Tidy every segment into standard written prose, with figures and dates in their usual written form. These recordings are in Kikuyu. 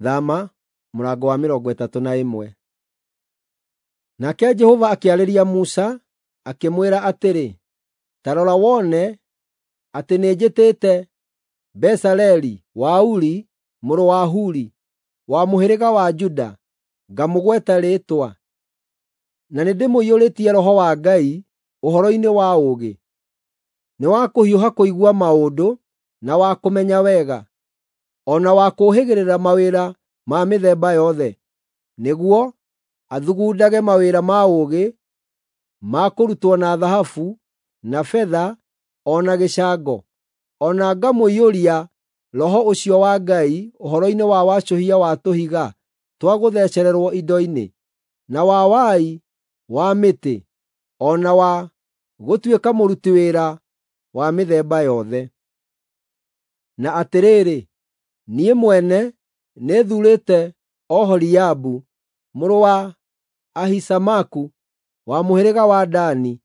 Thama mũrango wa 31. Nake Jehova akĩarĩria Musa, akĩmwĩra atĩrĩ, “Ta rora wone atĩ nĩnjĩtĩte Bezaleli wa Uri mũrũ wa Huri, wa mũhĩrĩga wa Juda, ngamũgweta rĩĩtwa, na nĩndĩmũiyũrĩtie Roho wa Ngai ũhoro-inĩ wa ũũgĩ, nĩ wa kũhiũha kũigua maũndũ na wa kũmenya wega, o na wa kũũhĩgĩrĩra mawĩra ma mĩthemba yothe, nĩguo athugundage mawĩra ma ũũgĩ ma kũrutwo na thahabu, na betha, o na gĩcango, o na ngamũiyũria Roho ũcio wa Ngai ũhoro-inĩ wa wacũhia wa tũhiga twa gũthecererwo indo-inĩ, na wa wai wa mĩtĩ, o na wa gũtuĩka mũruti wĩra wa mĩthemba yothe. Na atĩrĩrĩ, niĩ mwene nĩthuurĩte Oholiabu mũrũ wa Ahisamaku wa mũhĩrĩga wa Dani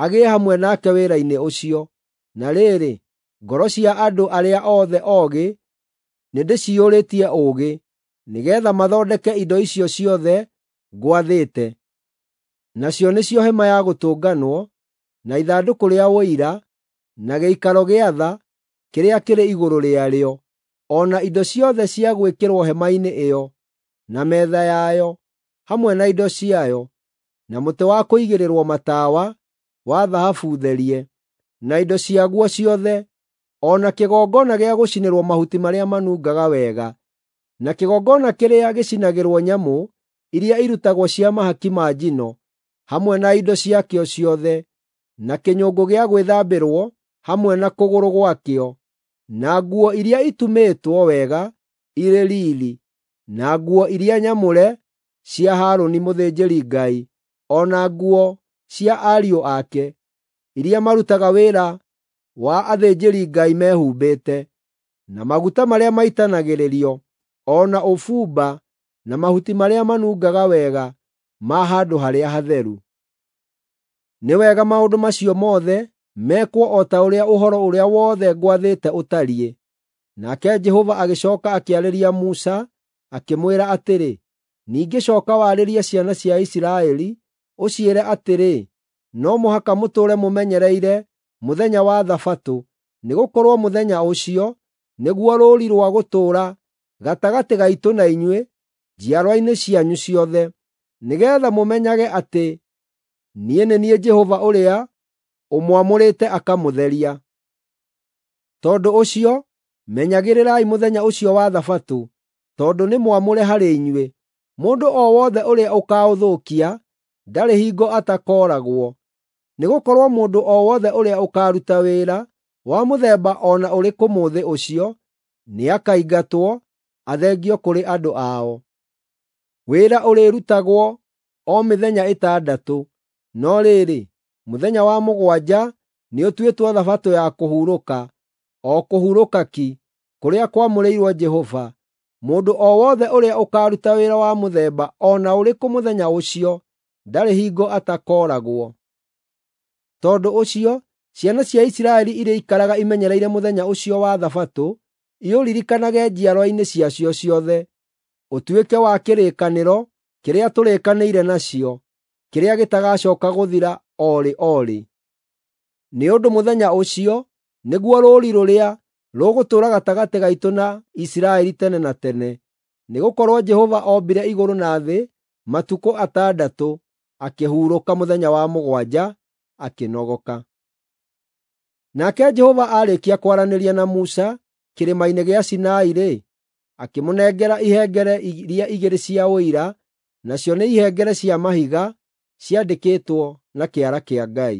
agĩe hamwe nake wĩra-inĩ ũcio. Na rĩrĩ, ngoro cia andũ arĩa othe oogĩ nĩndĩciyũrĩtie ũũgĩ, nĩgeetha mathondeke indo icio ciothe ngwathĩte, nacio nĩcio Hema-ya-Gũtũnganwo, na ithandũkũ rĩa Ũira, na gĩikaro gĩa tha kĩrĩa kĩrĩ igũrũ rĩarĩo, o na indo ciothe cia gwĩkĩrwo hema-inĩ ĩyo, na metha yayo hamwe na indo ciayo, na mũtĩ wa kũigĩrĩrwo matawa wa thahabu therie, na indo ciaguo ciothe, o na kĩgongona gĩa gũcinĩrwo mahuti marĩa manungaga wega, na kĩgongona kĩrĩa gĩcinagĩrwo nyamũ iria irutagwo cia mahaki ma njino, hamwe na indo ciakĩo ciothe, na kĩnyũngũ gĩa gwĩthambĩrwo hamwe na kũgũrũ gwakĩo, na nguo iria itumĩtwo wega irĩ riiri, na nguo iria nyamũre cia Harũni mũthĩnjĩri-Ngai, o na nguo cia ariũ ake, iria marutaga wĩra wa athĩnjĩri-Ngai mehumbĩte, na maguta marĩa maitanagĩrĩrio, o na ũbumba na mahuti marĩa manungaga wega ma handũ-harĩa-hatheru. Nĩ wega maũndũ macio mothe mekwo o ta ũrĩa ũhoro ũrĩa wothe ngwathĩte ũtariĩ. Nake Jehova agĩcooka akĩarĩria Musa, akĩmwĩra atĩrĩ, “Ningĩ cooka warĩrie ciana cia Isiraeli, ũciĩre atĩrĩ, ‘No mũhaka mũtũũre mũmenyereire mũthenya wa Thabatũ, nĩgũkorwo mũthenya ũcio nĩguo rũũri rwa gũtũũra gatagatĩ gaitũ na inyuĩ njiarwa-inĩ cianyu ciothe, nĩgeetha mũmenyage atĩ niĩ nĩ niĩ Jehova ũrĩa ũmwamũrĩte akamũtheria. Tondũ ũcio, menyagĩrĩrai mũthenya ũcio wa Thabatũ, tondũ nĩ mwamũre harĩ inyuĩ. Mũndũ o wothe ũrĩa ũkaũthũkia ndarĩ hingo atakooragwo. Nĩgũkorwo mũndũ o wothe ũrĩa ũkaaruta wĩra wa mũthemba o na ũrĩkũ mũthĩ ũcio, nĩakaingatwo athengio kũrĩ andũ ao. Wĩra ũrĩrutagwo o mĩthenya ĩtandatũ, no rĩrĩ, mũthenya wa mũgwanja nĩũtuĩtwo Thabatũ ya kũhurũka, o kũhurũka ki, kũrĩa kwamũrĩirwo Jehova. Mũndũ o wothe ũrĩa ũkaaruta wĩra wa mũthemba o na ũrĩkũ mũthenya ũcio ndarĩ hingo atakooragwo. Tondũ ũcio, ciana cia Isiraeli irĩikaraga imenyereire mũthenya ũcio wa Thabatũ, iũririkanage njiarwa-inĩ ciacio ciothe, ũtuĩke wa kĩrĩkanĩro kĩrĩa tũrĩkanĩire nacio, kĩrĩa gĩtagacooka gũthira o rĩ o rĩ. Nĩ ũndũ mũthenya ũcio nĩguo rũũri rũrĩa rũgũtũũra gatagatĩ gaitũ na Isiraeli tene na tene. Nĩgũkorwo Jehova ombire igũrũ na thĩ matukũ atandatũ, akĩhurũka mũthenya wa mũgwanja, akĩnogoka. Nake Jehova aarĩkia kwaranĩria na Musa kĩrĩma-inĩ gĩa Sinai-rĩ, akĩmũnengera ihengere iria igĩrĩ cia Ũira, nacio nĩ ihengere cia mahiga ciandĩkĩtwo na kĩara kĩa Ngai.